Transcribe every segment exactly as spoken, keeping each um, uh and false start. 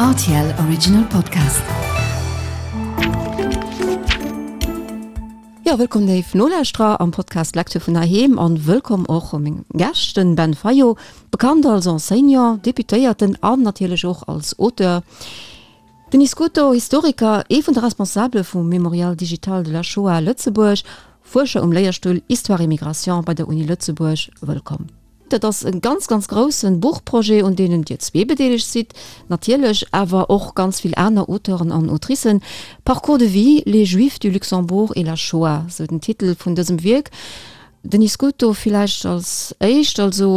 R T L Original Podcast. Jo, wëllkomm léif Nolauschterer am Podcast Lecture vun heiheem an wëllkomm och meng Gäscht, den Ben Fayot, bekannt als Enseignant, Deputéierten an natierlech och als Auteur. Denis Scuto, Historiker, ee vun de Responsabele vum Mémorial digital de la Shoah Lëtzebuerg, Fuerscher um Léierstull Histoire et Migration bei der Uni Lëtzebuerg, wëllkomm. Dat ass e ganz, ganz grousse Buchprojet, un deenen Dir zwee bedeelegt sidd, natierlech awer och ganz vill aner Auteuren an Autricen. Parcours de vie, les Juifs du Luxembourg et la Shoah, sou den Titel vun dësem Wierk. Denis Scuto villäicht als éischt, also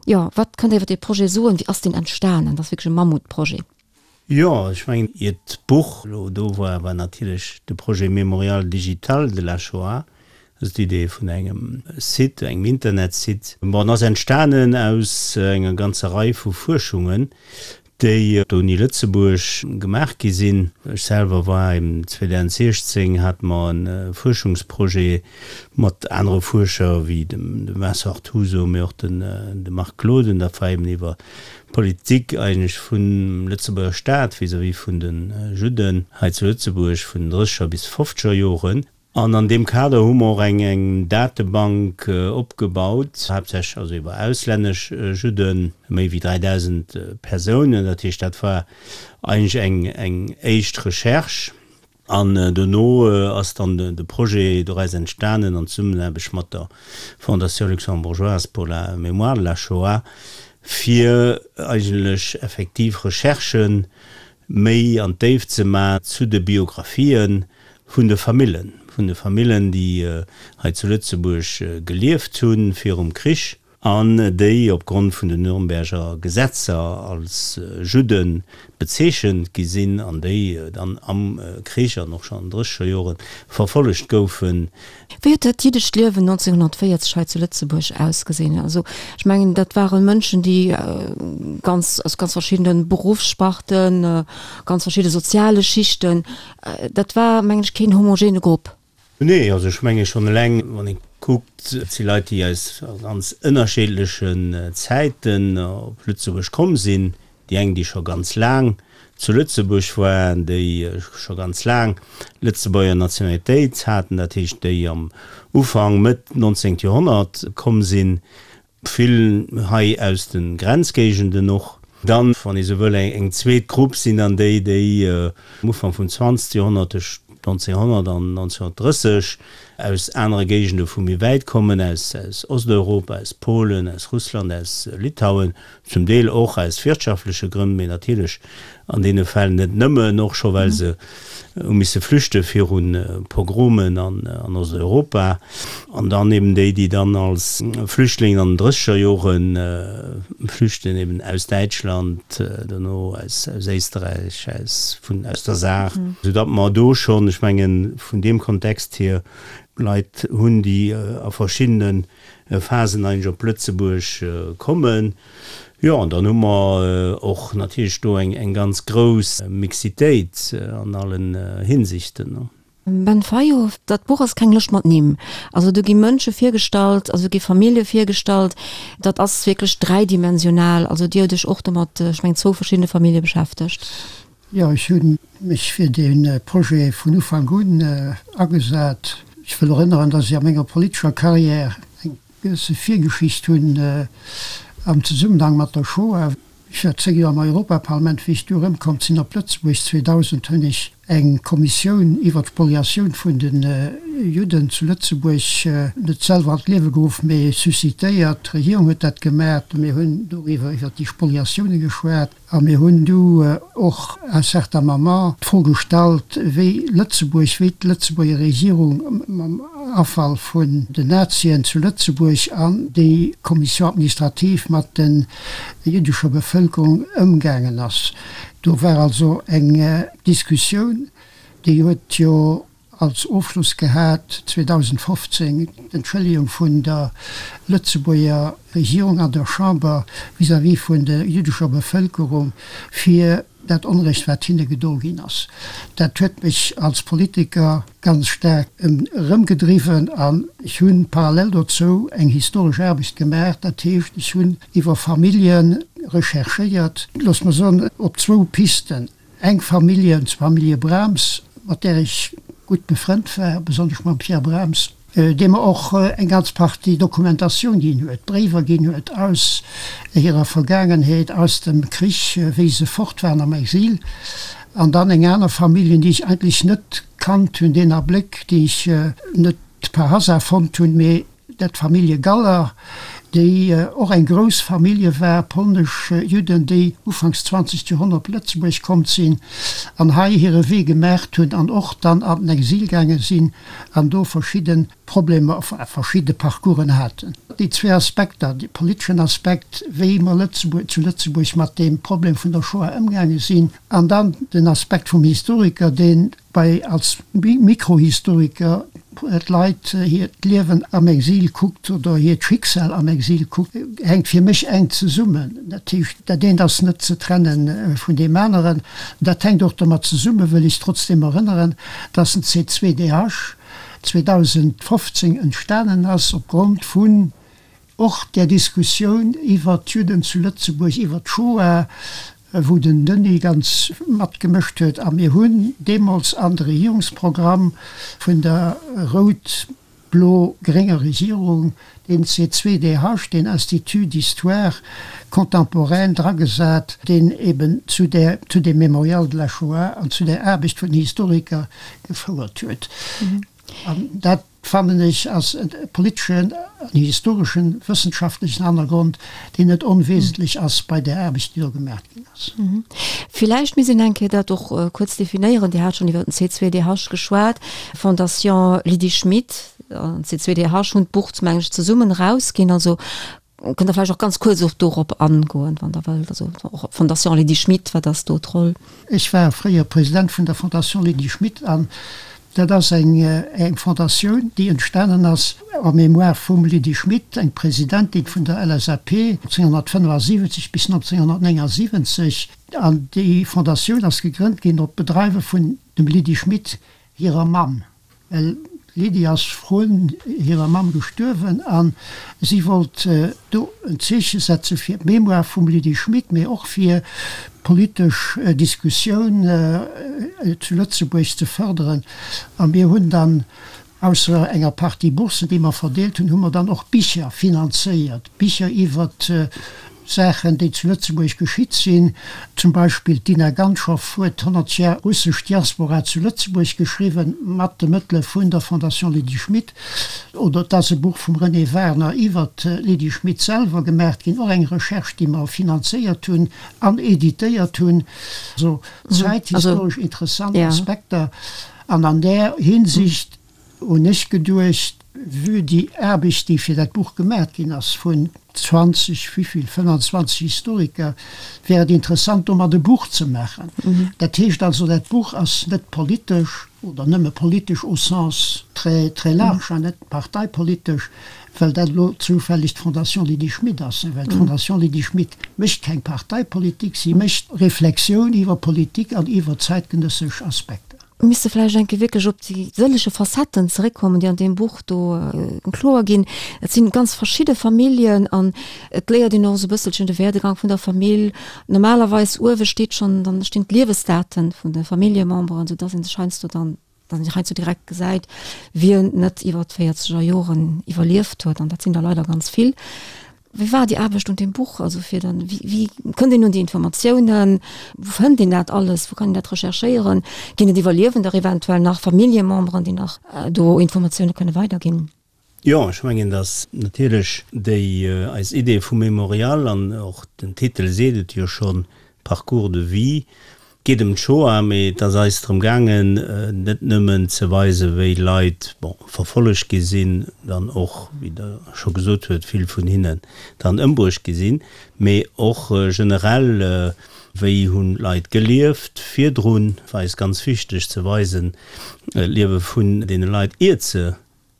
jo, wat kënnt Dir iwwer dee Projet soen? Wéi ass deen entstanen? Dat ass wierklech e Mammutprojet. Jo, ech mengen, iert d'Buch elo do war, war natierlech de Projet Mémorial digital de la Shoah, also d'Idee vun engem Site, engem Internetsite. Bon, en ass entstanen aus enger ganzer Rei vu Fuerschungen, déi op der Uni Lëtzebuerg gemaach gi sinn. Ech selwer war eben zweedausentsiechzéng hate mer e Fuerschungsprojet mat anere Fuerscher wéi dem Vincent Artuso, mee och de Marc Gloden, dat war eben iwwer d'Politik eigentlech vum Lëtzebuerger Staat vis-à-vis vun de Judden hei zu Lëtzebuerg vun den drësseger bis fofzeger Joren. An an deem Kader hu mer och eng eng Datebank opgebaut, haaptsächlech also iwwer auslännesch Judden, méi wéi dräidausend Persounen. Dat heescht, dat war eigentlech eng eng éischt Recherche. An dono ass dann de Projet doraus entstanen an Zesummenaarbecht mat der Fondation luxembourgeoise pour la mémoire de la Shoah, fir eigentlech effektiv Recherchë méi an d'Déift ze maachen zu de Biografië vun de Famillen, vun de Famillen, déi hei zu Lëtzebuerg gelieft hu virum Krich an déi opgrond vun den Nürnberger Gesetzer als Judde bezeechent gi sinn an déi dann am Krich an och schonn an den drësseger Jore verfollegt goufen. Wéi huet dat jiddescht Liewen nonzénghonnertvéierzeg hei zu Lëtzebuerg ausgesinn? Also ech mengen, dat ware Mënschen, déi ganz aus ganz verschiddene Beruffssparten, ganz verschidde soziale Schichten, dat war, mengen ech, keen homogene Grupp. Nee, also ech menge schonn eleng, wann ee kuckt, et si Leit, déi aus ganz ënnerscheedlechen Zäiten op Lëtzebuerg komm sinn. Déi eng, déi scho ganz laang zu Lëtzebuerg waren, déi scho ganz laang Lëtzebuerger Nationalitéit haten, dat heescht, déi am Ufank, Mëtt nonzéngt Joerhonnert komm sinn, vill hei aus de Grenzgéigenden och. Dann, wann ee sou wëll, eng zweet Grupp sinn dann déi, déi am Ufank vum zwanzegste Joerhonnert, tëscht nonzénghonnert an nonzénghonnertdrësseg, aus anere Géigende vu méi wäit kommen, aus Osteuropa, aus Polen, aus Russland, aus Litauen, zum Deel och aus wirtschaftleche Grënn, mee natierlech an deene Fäll net nëmmen, och scho well se hu misse flüchte viru Pogromen an Osteuropa. An dann eben déi, déi dann als Flüchtlingen an den drësseger Jore flüchten, eben aus Däitschland, dono aus Éisterräich, aus vun aus der Saar, soudatt mer do schonn, ech mengen, vun deem Kontext hier Leit hunn, déi a verschiddene Phasen eigentlech op Lëtzebuerg kommen. Jo, an dann hu mer och natierlech do eng ganz grouss Mixitéit an allen Hinsichten. Ben Fayot, Dat Buch ass keng Lëscht mat Nimm. Also do gi Mënsche virgestallt, also do gi Famillje virgestallt. Dat ass wierklech dräidimensional. Also Dir hutt Iech och domat, ech mengen, zwou verschiddene Famillje beschäftegt. Jo, ech hu mech fir dee Projet vun Ufank un agesat. Ech wëll erënneren, dass ech a menger politescher Carrière eng gewësse Virgeschicht hunn am Zesummenhang mat der Shoah. Ech war zéng Joer am Europaparlament. Wéi ech du erëmkomm sinn op Lëtzebuerg zweedausend, hunn ech eng Kommissioun iwwer d'Spoliatioun vun de Judden zu Lëtzebuerg net selwer an d'Liewe geruff, mee suscitéiert. D'Regierung huet dat gemaach. Mir hunn doriwwer, iwwer déi Spoliatioune geschwat. A mir hunn du och à un certain moment d'Fro gestallt, wéi Lëtzebuerg, wéi d'Lëtzebuerger Regierung mam Afall vun den Nazien zu Lëtzebuerg an déi Commission administrative mat der jiddescher Bevëlkerung ëmgaangen ass. Do war also eng Diskussioun, déi huet jo als Ofschloss gehat zweedausendfofzéng d'Entschëllegung vun der Lëtzebuerger Regierung an der Chamber vis-à-vis vun der jüddescher Bevëlkerung fir dat Onrecht, wat hinne gedo ginn ass. Dat huet mech als Politiker ganz staark erëmgedriwwen an ech hunn parallel dozou eng historesch Aarbecht gemaach. Dat heescht, ech hunn iwwer Famillje recherchéiert, looss mer soen, op zwou Pisten, eng Famillje, d'Famillje Brahms, mat där ech gutt befrënnt war, besonnesch mam Pierre Brahms, dee mer och eng ganz Partie Dokumentatioun ginn huet, Bréiwer ginn huet aus hirer Vergaangenheet, aus dem Krich, wéi se fort waren am Exil. An dann eng aner Familljen, déi ech eigentlech net kannt hunn, deen Abléck, déi ech net par hasard fonnt hunn, mee dat d'Famillje Galler, déi och eng grouss Famillje war, polnesch Judden, déi ufanks zwanzegt Joerhonnert op Lëtzebuerg komm sinn an hei hire Wee gemaacht hunn an och dann an den Exil gaange sinn an do verschidde Problemer, enfin verschidde Parcoursen haten. Déi zwee Aspekter, de politeschen Aspekt, wéi mer Lëtzebuerg, zu Lëtzebuerg mat deem Problem vun der Shoah ëmgaange sinn, an dann den Aspekt vum Historiker, deen bei als Mikrohistoriker d'Leit hiert Liewen am Exil kuckt oder hiert Schicksal am Exil kuckt, hänkt fir mech enk zesummen. Dat heescht, dat eent ass net ze trenne vun deem aneren. Dat hänkt och domat zesummen, wëll ech trotzdeem erënneren, dass den C zwei D H zweedausendfofzéng entstanen ass opgrond vun och där Diskussioun iwwert d'Judden zu Lëtzebuerg, iwwert d'Shoah, wou den Denis ganz matgemëscht huet. A mir hunn deemools an de Regierungsprogramm vun der rout-blo-grénger Regierung deen C zwei D H, deen Institut d'histoire contemporaine dragesat, deen eben zu där, zu deem Mémorial de la Shoah an zu där Aarbecht vun den Historiker gefouert huet. An dat, fannen ech, ass e politeschen an historeschen, wëssenschaftlechen Hannergrond, deen net onwesentlech ass bei där Aarbecht, déi do gemaach ginn ass. Villäicht misst een eng Kéier dat och kuerz definéieren. Dir hat schonn iwwer den C zwei D H geschwat. Fondation Lydie Schmit an C zwei D H hunn d'Buch, meng ech, zesummen erausginn. Also kënnt Der vläicht och ganz kuerz och dorop angoen, wann Der wëllt. Also och op d'Fondation Lydie Schmit, wat ass do d'Roll? Ech war fréier President vun der Fondation Lydie Schmit an dat ass eng eng Fondatioun, déi entstanen ass en mémoire vum Lydie Schmit, eng Presidentin vun der L S A P neunzehnhundertfünfundsiebzig bis neunzehnhundertneunundsiebzig. An déi Fondatioun ass gegrënnt ginn op Bedreiwe vun dem Lydie Schmit hirer Mamm. Well d'Lydie ass vrun hirer Mamm gestuerwen a si wollt do en Zeeche setze fir d'Mémoire vum Lydie Schmit, mee och fir d'politesch Diskussioun zu Lëtzebuerg ze fërderen. A mir hunn dann, ausser enger Partie Bourssen, déi mer verdeelt hunn, hu mer dann och Bicher finanzéiert, Bicher iwwer Saachen, déi zu Lëtzebuerg geschitt sinn. Zum Beispill d'Dina Ganschow huet honnert Jar russesch Diaspora zu Lëtzebuerg geschriwwen, mat de Mëttele vun der Fondation Lydie Schmit. Oder et ass e Buch vum René Warner iwwer d'Lydie Schmit selwer gemaacht ginn, och eng Recherche, déi mer finanzéiert hunn an editéiert hunn. Also zäithistoresch interessant Aspekter. An an där Hinsicht hunn ech geduecht, vue déi Aarbecht, déi fir dat Buch gemaat ginn ass vun zwanzeg, wéivill, fënnanzwanzeg Historiker, wär et interessant, domat e Buch ze maachen. Dat heescht also, dat Buch ass net politesch oder nëmme politesch au sens très, très large an net parteipolitesch, well dat elo zoufälleg d'Fondation Lydie Schmit ass, well d'Fondation Lydie Schmit mécht keng Parteipolitik, si mécht Reflexioun iwwer Politik an iwwer zäitgenëssesch Aspekter. Mir misste vläicht eng Kéier wierklech op déi sëllege Facetten zeréckkommen, déi an deem Buch do kloer ginn. Et sinn ganz verschidde Familljen an et léiert een och esou e bësselchen de Werdegang vun der Famill. Normalerweis uewe steet schonn, dann stinn d'Liewesdaten vun de Familljememberen, soudass ee sech heiansdo dann, dass een heiansdo direkt gesäit, wien net iwwer d'véierzeger Joren iwwerlieft huet, an dat sinn der leider ganz vill. Wéi war déi Aarbecht un deem Buch? Also fir dann, wéi, wéi kënnt een un déi Informatiounen? Wou fënnt een dat alles? Wou kann een dat recherchéieren? Ginn et Iwwerliewender eventuell nach, Familljememberen, déi nach do Informatioune kënne weiderginn? Jo, ech mengen, datt natierlech déi eis Idee vum Mémorial, an och den Titel seet et jo schonn, Parcours de vie, geet ëm d'Shoah, mee et ass eis drëm gaangen, net nëmmen ze weisen, wéi Leit, bon, verfollegt gi sinn, dann och, wéi Der scho gesot huet, vill vun hinnen dann ëmbruecht gi sinn, mee och generell, wéi hunn d'Leit gelieft virdrun. War eis ganz wichteg ze weisen, d'Liewe vun deene Leit, iert se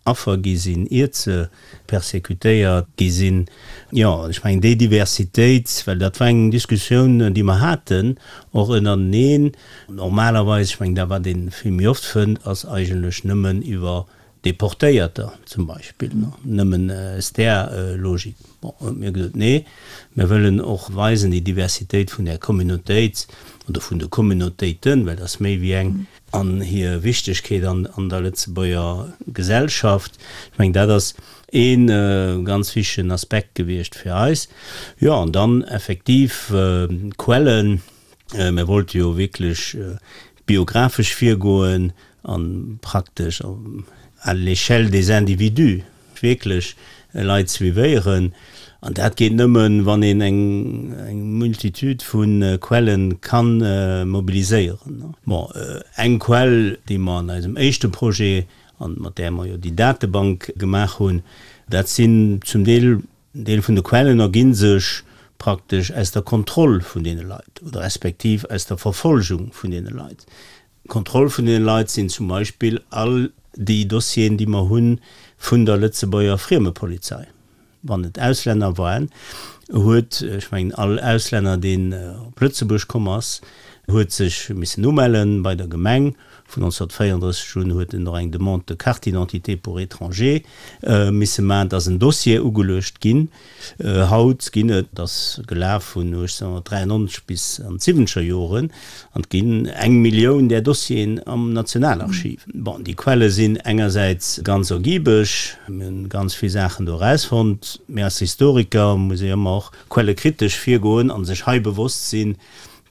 Affer gi sinn, iert se persecutéiert gi sinn. Jo, ech mengen déi Diversitéit, well dat war eng Diskussioun, déi mer haten, och ënnerteneen. Normalerweis, ech mengen dat wat ee vill méi oft fënnt, ass eigentlech nëmmen iwwer Deportéierter zum Beispill, nëmmen aus där Logik. Bon, huet mir gesot, nee, mir wëllen och weisen déi Diversitéit vun där Communautéit oder vun de Communautéiten, well et ass méi wéi eng, an hir Wichtegkeet an an der Lëtzebuerger Gesellschaft. Ech mengen, dat ass ee ganz wichtegen Aspekt gewiescht fir eis. Jo, an dann effektiv d'Quellen. Mir wollte jo wierklech biographesch virgoen a praktesch à l'échelle des individus wierklech Leit suivéieren. An dat geet nëmmen, wann een eng eng Multitude vu Quelle ka mobiliséieren. Bon, eng Quell, déi mer an eisem éischte Projet, an mat där mer jo déi Datebank gemaach hunn, dat sinn zum Deel, en Deel vun de Quellen ergi sech praktesch aus der Kontroll vun deene Leit oder respektiv aus der Verfolgung vun deene Leit. D'Kontroll vun deene Leit sinn zum Beispill all déi Dossieren, déi mer hu vun der Lëtzebuerger Friemepolizei. Wann et Auslänner waren, huet, ech mengen all Auslänner, deen op Lëtzebuerg komm ass, huet sech missen umelle bei der Gemeng. Vun nonzénhunnertvéierendrësseg un huet en och eng Demande de carte d'identité pour étranger misse maachen. Et ass en Dossier ugeluecht ginn. Haut ginn et, et ass gelaf vun uechtzénhunnertdräiennonzeg bis an d'siwwenzeger Joren, an et ginn eng Millioun där Dossieren am Nationalarchiv. Bon, déi Quelle sinn engersäits ganz ergibeg, mir hunn ganz vill Saachen do erausfonnt, mee als Historiker muss ee ëmmer och quellekritesch virgoen a sech hei bewosst sinn,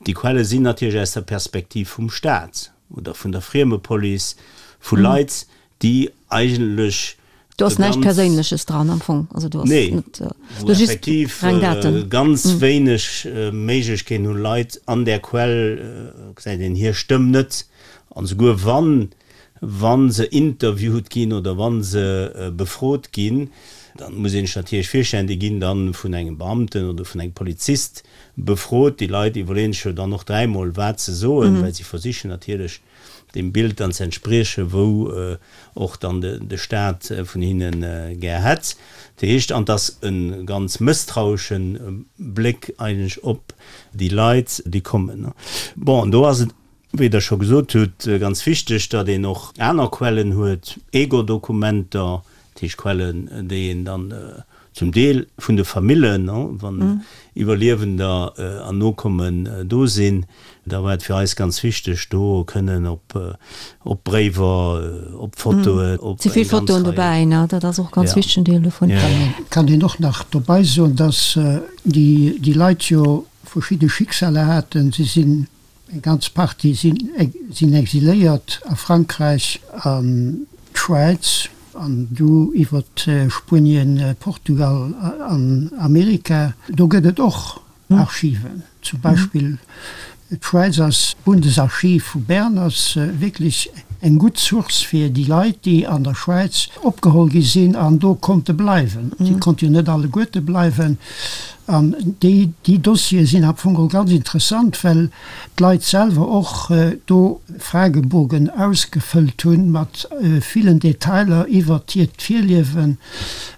déi Quelle sinn natierlech aus der Perspektiv vum Staat oder vun der Friemepolice, vu Leit, déi eigentlech Do ass näischt Perséinleches dran am Fong. Also do ass Nee, net, wou do just effektiv reng Daten. ganz wéineg Méiglechkeeten hunn, Leit an där Quell gesäit een hir Stëmm net. An esouguer wann, wa se interviewt ginn oder wa se befrot ginn, da muss een sech natierlech virstellen, déi ginn da vun engem Beamten oder vun engem Polizist befrot. Déi Leit iwwerleeën sech jo dann och dräimol, wat se soen, well si versichen natierlech, deem Bild dann ze entspriechen, wou och dann de Staat vun hinne gär hätt. Dat heescht, an et ass e ganz mësstrauesche Bléck eigentlech op déi Leit, déi kommen. Bon, an do ass et, wéi Der scho gesot hutt, ganz wichteg, datt een och aner Quellen huet, Ego-Dokumenter, dat heescht Quellen, déi een dann zum Deel vun de Famillen, wann Iwwerliewender an Nokommen do sinn, da war et fir eis ganz wichteg, do kënnen op op Bréiwer, op Fotoen, op Ze vill eng ganz Fotoen Rei. dobäi, ne? Dat ass och ganz Ja. wichtegen Deel dovun. Ja. Kann een och nach dobäi soen, dass déi déi Leit jo verschidde Schicksaler haten. Si sinn Eng ganz Partie sinn exiléiert a Frankräich, an d'Schwäiz an du iwwer Spuenien, Portugal an Amerika. Do gëtt et och Archiven. Zum Beispill d'Schwäiz ass, d'Bundesarchiv vu Bern ass wierklech eng gutt Source fir déi Leit, déi an der Schwäiz opgeholl gi sinn an do konnte bleiwen. Si konnte jo net alleguerte bleiwen. An déi, déi Dossiere sinn am Fong och ganz interessant, well d'Leit selwer och do Fragebogen ausgefëllt hunn mat villen Detailer iwwert hiert Virliewen.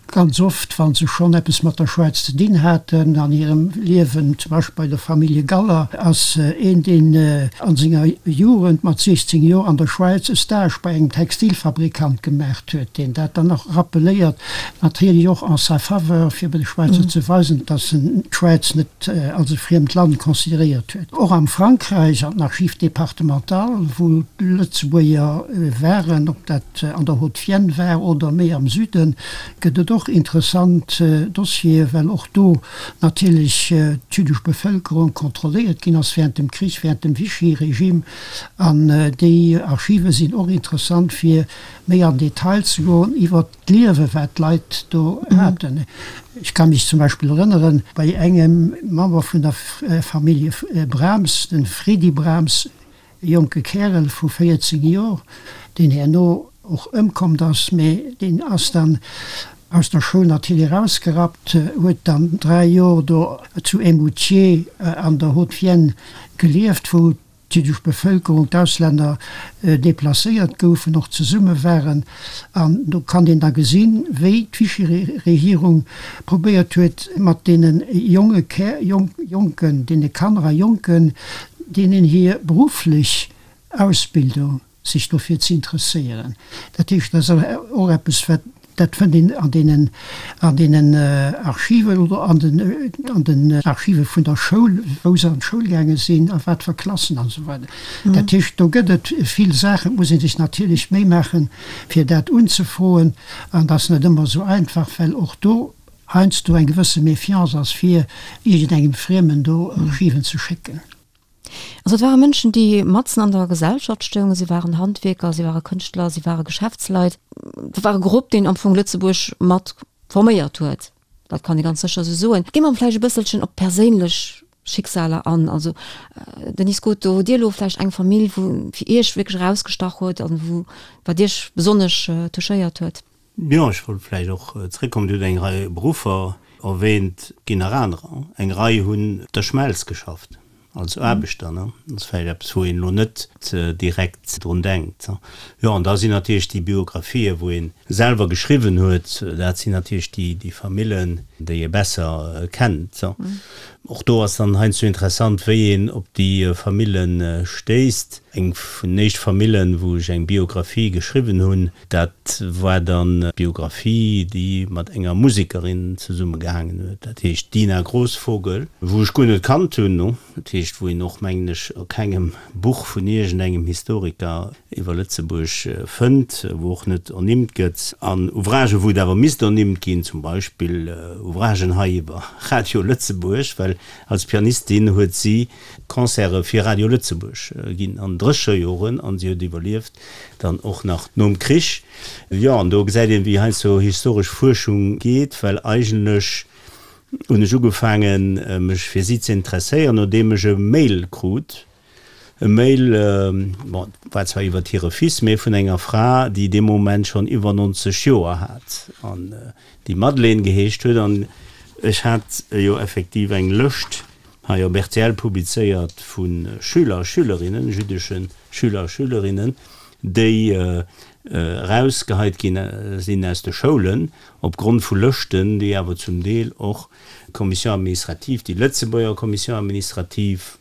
Ganz oft, wa se schonn eppes mat der Schwäiz ze dinn haten an hirem Liewen, zum Beispill bei der Famillje Galler ass een, deen a senger Jugend mat siechzéng Joer an der Schwäiz e Stage bei engem Textilfabrikant gemaacht huet, deen dat dann och rappeléiert, natierlech och en sa faveur, fir de Schwäizer ze weisen, datt en d'Schwäiz net als e friemt Land consideréiert huet. Och am Frankräich, an den Archives départementales, wou d'Lëtzebuerger waren, ob dat an der Haute-Vienne war oder méi am Süden, gëtt et och interessant Dossieren, well och do natierlech d'jüddesch Bevëlkerung kontrolléiert ginn ass während dem Krich, während dem Vichy-Regime. An déi Archive sinn och interessant, fir méi an Detail ze goen iwwert d'Liewe wat d'Leit do haten. Ech ka mech zum Beispill erënneren, bei engem Member vun der Famillje Brahms, de Fredy Brahms, e jonke Kärel vu véierzéng Jor, deen herno och ëmkommt ass, mee deen ass dann aus der Schoul natierlech erausgerappt, huet dann dräi Jor do zu Eymoutiers an der Haute-Vienne gelieft, wou d'jiddesch Bevëlkerung, d'Auslänner deplacéiert goufen, och zesumme waren. An do kann een da gesinn, wéi d'Vichy-Regierung probéiert huet, mat deene jonge Kä-, Jonken, deene Kanner a Jonken, deenen hir berufflech Ausbildung, sech dofir ze interesséieren. Dat heescht, dat ass och eppes, wat, dat fënnt een an deenen, an deenen Archiven oder an den, an den Archive vun der Schoul, wou se an d'Schoul gaange sinn, a wat fir Klassen an esou weider. Dat heescht, do gëtt et vill Saachen. Et muss ee sech natierlech Méi maachen, fir dat unzefroen, an dat ass net ëmmer esou einfach, well och do heiansdo eng gewësse Méfiance ass, fir iergendengem Friemen do Archiven ze schécken. Also et ware Mënschen, déi matzen an der Gesellschaft stoungen. Si waren Handwierker, si ware Kënschtler, si ware Geschäftsleit. Dat war e Grupp, deen am Fong Lëtzebuerg mat forméiert huet. Dat kann ee ganz sécher esou soen. Gi mer vläicht e bësselchen op perséinlech Schicksaler an. Also Denis Scuto, hutt Dir elo vläicht eng Famill, wou fir Iech wierklech erausgestach huet an wou, wat Iech besonnesch touchéiert huet? Jo, ech wollt vläicht och zréckkommen, Dir hutt eng Rei Beruffer erwähnt, et ginn nach anerer. Eng Rei hunn op der Schmelz geschafft als Aarbechter, ne? Dat ass vläicht eppes, wou een elo net direkt drun denkt. Jo, an da sinn natierlech déi Biographien, wou ee selwer geschriwwen huet, dat sinn natierlech déi, déi Famillen, déi ee besser kennt. Och do ass dann heiansdo interessant, wéi een op déi Famillen stéisst. Eng vun den éischt Famillen, wou ech eng Biographie geschriwwen hunn, dat war dann d'Biographie, déi mat enger Musekerin zesummegehaangen huet, dat heescht d'Dina Grosvogel, wou ech guer net kannt hunn, dat heescht, wou een och, mengen ech, a kengem Buch vun iergendengem Historiker iwwer Lëtzebuerg fënnt, wou och net ernimmt gëtt. An Ouvragen, wou et awer misst ernimmt ginn, zum Beispill Ouvragen hei iwwer Radio Lëtzebuerg, well als Pianistin huet si Concerte fir Radio Lëtzebuerg ginn an Drécherjoren an si huet iwwerlieft dann och nach nom Krich. Jo, an do gesäit een, wéi heiansdo historesch Fuerschung geet, well eigentlech hunn ech ugefaangen, mech fir si ze interesséieren, nodeem ech e Mail krut, e Mail, bon, war zwar iwwert hire Fils, mee vun enger Fra, déi dee Moment schonn iwwer nonzeg Joer hat an déi Madeleine geheescht huet. An ech hat jo effektiv eng Lëscht hei op rtl publizéiert vu Schüler a Schülerinnen, jüddesche Schüler a Schülerinnen, déi erausgeheit gi sinn aus de Schoulen opgrond vu Lëschten, déi awer zum Deel och d'Commission administrative, déi Lëtzebuerger Commission administrative,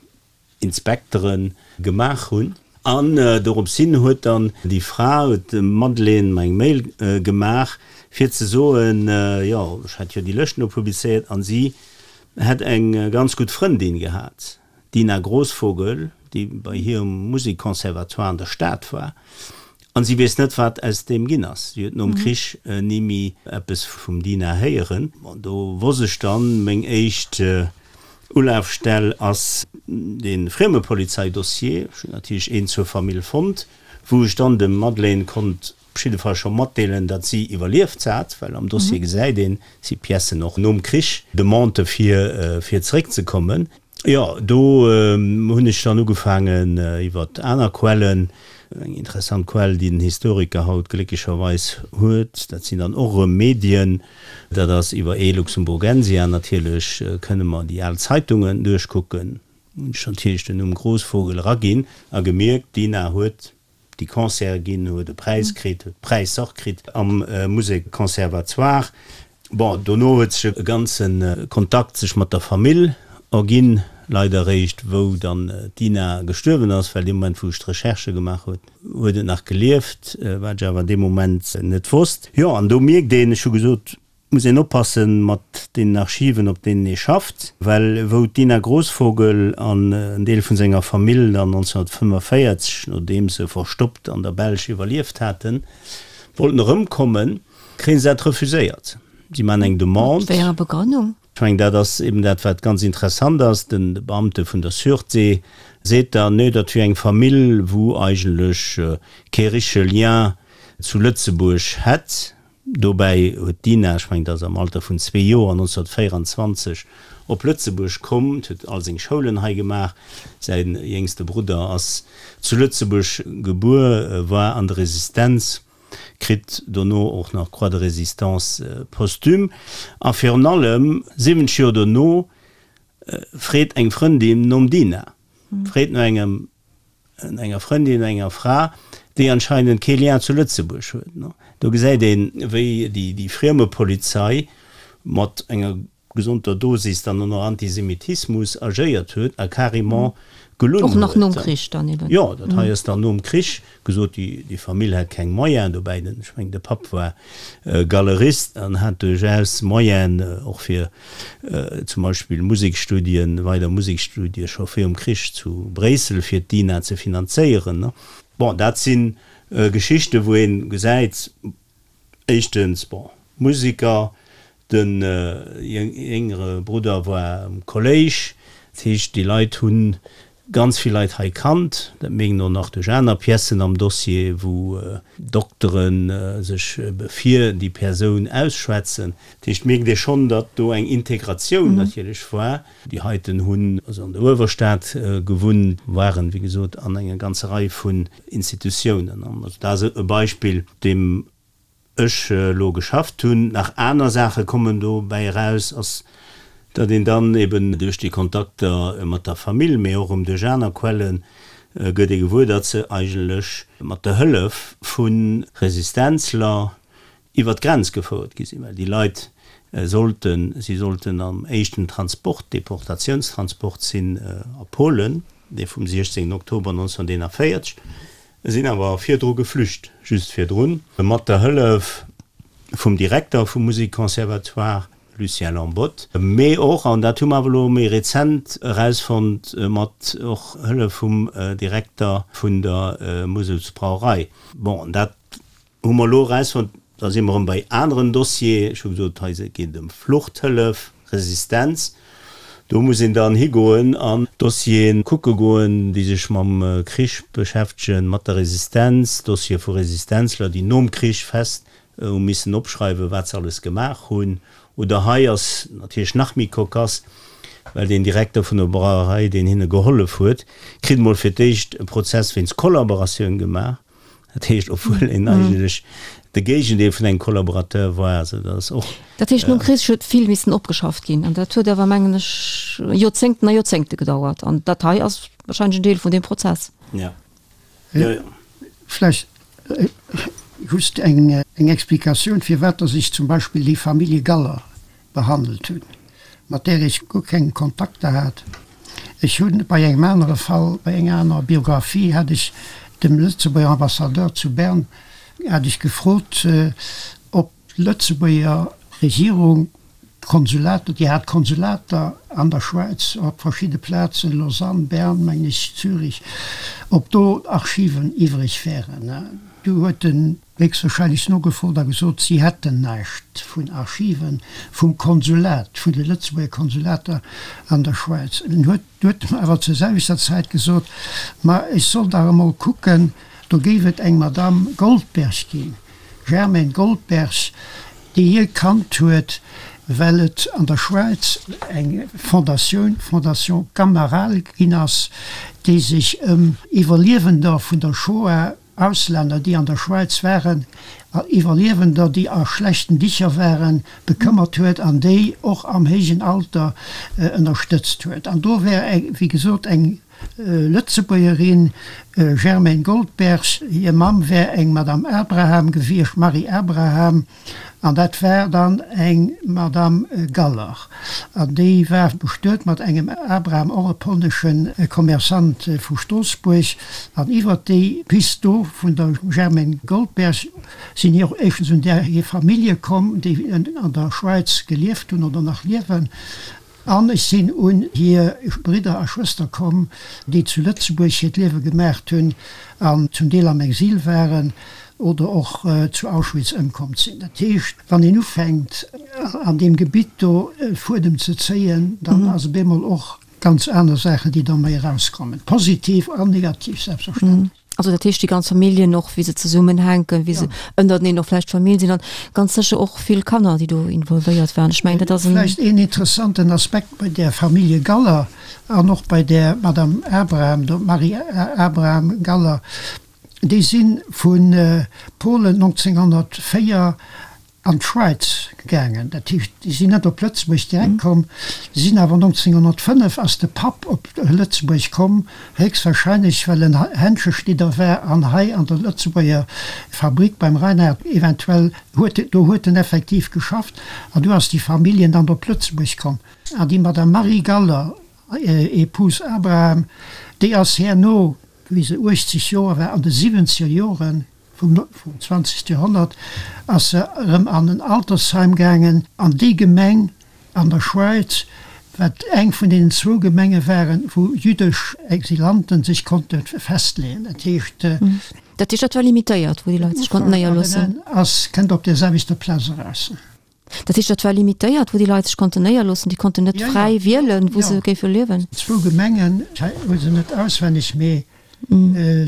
Inspektere gemaach hunn. An dorops hin huet dann déi Fra, huet d'Madeleine mer eng Mail gemaach, fir ze soen, jo, ech hätt jo déi Lëschten do publizéiert an si hätt eng ganz gutt Frëndin gehat, d'Dina Grosvogel, déi bei hir um Musekconservatoire an der Stad war, an si weess net, wat aus deem ginn ass. Si huet nom Krich ni méi eppes vum Dina héieren. Bon, do wosst ech dann, meng éischt Ulafstell ass de Friemepolizeidossier. Ech hunn natierlech een zur Famill fonnt, wou ech dann dem Madeleine konnt op jidde Fall scho matdeelen, datt si iwwerlieft hat, well am Dossier gesäit een, et si Piècen och nom Krich, Demandë fir fir zeréckzekommen. Jo, do hunn ech dann ugefaangen iwwer aner Quellen, eng interessant Quell, déi den Historiker haut glécklecherweis huet, dat sinn dann och erëm Medien, dat ass iwwer e-Luxemburgensia natierlech, kënne mer déi al Zeitungen duerchkucken, hunn ech natierlech den Numm Grosvogel eraginn a gemierkt, d'Dina huet déi Concerte ginn, huet e Präis kritt, huet Präisser kritt am Musekconservatoire. Bon, dono huet sech e ganze Kontakt sech mat der Famill erginn, leider eréischt wou dann d'Dina gestuerwen ass, well dee Moment wou ech d'Recherchë gemaach huet, huet et nach gelieft, wat ech awer dee Moment net wosst. Jo, an do mierkt een, ech hu gesot, muss een oppasse mat deenen Archiven, op deenen ee schafft, well wou d'Dina Grosvogel an en Deel vun senger Famill dann nonzénhunnertfënnefenvéierzeg, nodeem se verstoppt an der Belsch iwwerlieft haten, wollten erëmkommen, kréie se dat refuséiert. Si maachen eng Demande. Mat wéi enger Begrënnung? Ech mengen, dat ass eben dat, wat ganz interessant ass. De Beamte vun der Sûreté seet dann, nee, dat wier eng Famill, wou eigentlech kee richtege Lien zu Lëtzebuerg hätt. Dobäi huet d'Dina, ech mengen, dat ass am Alter vun zwee Joer, nonzénhunnertvéieranzwanzeg op Lëtzebuerg komm, huet all seng Schoulen hei gemaach. Säi jéngste Brudder ass zu Lëtzebuerg gebuer, war an der Resistenz, kritt dono och nach d'Croix de Résistance posthume. A virun allem, siwwenzeg Joer dono, freet eng Frëndin nom Dina, freet no engem enger Frëndin, enger Fra, déi anscheinend kee Lien zu Lëtzebuerg huet. Do gesäit een, wéi déi Friemepolizei mat enger gesonder Dosis dann och nach Antisemitismus agéiert huet a carrément gelunn Och nach huet. nom Krich dann eben. Jo, dat hei ass dann nom Krich gesot, déi, déi Famill hat keng Moyenen, dobäi den, ech mengen de Papp war Galerist an hat duerchaus Moyenen och fir zum Beispill Musekstudien, weider Musekstudie scho virum Krich zu Bréissel fir d'Dina ze finanzéieren. Bon, dat si Geschichten, wou ee gesäit, éischtens, bon, Museker, de jéngere Brudder war am Kolléisch, dat heescht, déi Leit hu ganz vill Leit hei kannt. Dat mierkt een och nach duerch aner Piècen am Dossier, wou Doktere sech fir déi Persoun ausschwätzen. Dat heescht, mierkt ee schonn, datt do eng Integratioun natierlech war. Déi heiten hunn also an der Uewerstad gewunnt, waren, wéi gesot, an enger ganzer Rei vun Institutiounen. Also dat ass e Beispill, deem ech elo geschafft hunn. Nach aner Saache kommen dobäi eraus, ass, datt een dann eben duerch déi Kontakter mat der Famill, mee och erëm duerch aner Quellen, gëtt ee gewuer, datt se eigentlech mat der Hëllef vu Resistenzler iwwer d'Grenz gefouert gi sinn, well déi Leit sollten, si sollten am éischten Transport, Deportatiounstransport sinn a Polen, dee vum siechzéngten Oktober nonzénhunnerteenanvéierzeg, sinn awer virdru geflücht, just virdrun, mat der Hëllef vum Direkter vum Musikconservatoire, Lucien Lambotte, mee och, an dat hu mer awer elo méi rezent erausfonnt, mat och Hëllef vum Direkter vun der Muselsbrauerei. Bon, an dat hu mer elo erausfonnt, da si mer erëm bei aneren Dossier, ech hu gesot, hei geet et ëm Fluchthëllef, Resistenz, do muss een dann higoen an Dossiere kucke goen, déi sech mam Krich beschäftegen, mat der Resistenz, Dossiere vu Resistenzler, déi nom Krich fest hu missen opschreiwen, wat se alles gemaach hunn. Oder hei ass natierlech nach méi kokass, well deen Direkter vun der Brauerei, deen hinne gehollef huet, kritt emol fir d'éischt e Prozess wéinst Kollaboratioun gemaach. Dat heescht, obwuel en eigentlech de Géigendeel vun engem Kollaborateur war. Also dat ass och. Dat heescht, nom Krich huet vill missen opgeschafft ginn. An dat huet awer, mengen ech, Joerzéngten a Joerzéngte gedauert. An dat hei ass wahrscheinlech en Deel vun deem Prozess. Ja. Jo, jo. Vläicht just eng Explikatioun, firwat dass ech zum Beispill déi Famillje Galler behandelt hunn, mat där ech guer keng Kontakter hat. Ech hunn bei engem anere Fall, bei enger anerer Biographie hat ech dem Lëtzebuerger Ambassadeur zu Bern hat ech gefrot, ob d'Lëtzebuerger Regierung Konsulater, déi hat Konsulater an der Schwäiz op verschidde Plazen, Lausanne, Bern, mengen ech, Zürich, ob do Archiven iwwreg wären. Du huet en héchstwahrscheinlech nogefrot a gesot, si hätten näischt vun Archiven vum Konsulat, vun de Lëtzebuerger Konsulater an der Schwäiz. En huet huet mer awer zur selwechter Zäit gesot, ma ech soll dach emol kucken, do géif et eng Madame Goldberg ginn, Germaine Goldberg, déi hie kannt huet, well et an der Schwäiz eng Fondatioun, Fondation Camaral, ginn ass, déi sech ëm Iwwerliewender vun der Shoah, Auslänner, déi an der Schwäiz waren, Iwwerliewender, déi a schlechten Dicher waren, bekëmmert huet an déi och am héijen Alter ënnerstëtzt huet. An do wär, wéi gesot, eng Lëtzebuergerin, Germaine Goldberg, hir Mamm wär eng Madame Abraham gewiescht, Marie Abraham, an dat war dann eng Madame Galler. An déi war bestuet mat engem Abraham, och e polnesche Commerçant vu Stroossbuerg. An iwwert déi Pist do vun der Germaine Goldberg sinn hir och éischtens un där hir Famillje komm, déi an der Schwäiz gelieft hunn oder nach liewen. An ech sinn un hir Bridder a Schwëster komm, déi zu Lëtzebuerg hiert Liewe gemaacht hunn an zum Deel am Exil waren oder och zu Auschwitz ëmkomm sinn. Dat heescht, wann een ufänkt, an deem Gebitt do e Fuedem ze zéien, dann ass op eemol och ganz aner Saachen, déi da méi erauskommen, positiv an negativ selbstverständlech. Also dat heescht déi ganz Familljen och, wéi se zesummenhänken, wéi se ënnerteneen och vläicht Famill sinn an ganz sécher och vill Kanner, déi do involvéiert waren. Ech mengen, dat ass en. Vläicht een interessanten Aspekt bei där Famillje Galler an och bei där Madame Abraham, der Marie Abraham Galler, déi si vu Polen neunzehnhundertvéier an d'Schwäiz gaangen. Dat heescht, déi sinn net op Lëtzebuerg direkt komm, déi sinn awer nonzénghonnertfënnef ass de Papp op Lëtzebuerg komm, héchstwahrscheinlech well en Händscheschnidder war an hei an der Lëtzebuerger Fabrik beim Reinhard eventuell huet, do huet en effektiv geschafft an du ass déi Familljen dann op Lëtzebuerg komm. An déi Madame Marie Galler, épouse Abraham, déi ass herno, wéi se uechtzeg Joer war, an de siwwenzeger Joren, vum zwanzegste Joerhonnert ass se erëm an en Altersheim gaangen an déi Gemeng an der Schwäiz, wat eng vun deenen zwou Gemenge waren, wou jüddesch Exilanten sech konnte festleeën. Dat heescht. Dat heescht, dat war limitéiert, wou déi Leit sech konnten néierloossen? Ass, kënnt op där selwechter Plaz eraus. Dat heescht, dat war limitéiert, wou déi Leit sech konnten néierloossen? Déi konnten net fräi wielen, wou se géife liewen? Zwou Gemengen, ech hu se net auswenneg, mee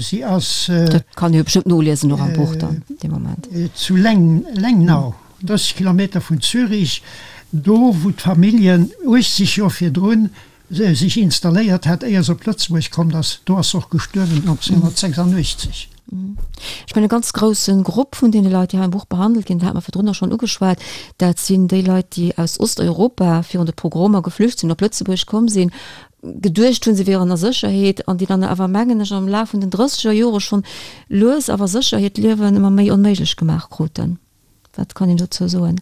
Si ass. Dat kann ee jo bestëmmt noliesen och am Buch dann dee Moment. Zu Lengnau, drësseg Kilometer vun Zürich, do wou d'Familljen uechtzeg Joer virdrun sech installéiert hat, éier se op Lëtzebuerg komm ass. Do ass se och gestuerwen nonzénghonnertsechsandachtzeg. Ech mengen e ganz grousse Grupp vun deene Leit, déi hei am Buch behandelt ginn, dat hate mer virdrun och schonn ugeschwat, dat sinn déi Leit, déi aus Osteuropa virun de Pogromer geflücht sinn, op Lëtzebuerg komm sinn, geduecht hunn, se wieren a Sécherheet, an déi dann awer, mengen ech, am Laf vun den drësseger Jore schonn lues awer sécher hiert Liewen ëmmer méi onméiglech gemaach kruten. Wat kann een dozou soen?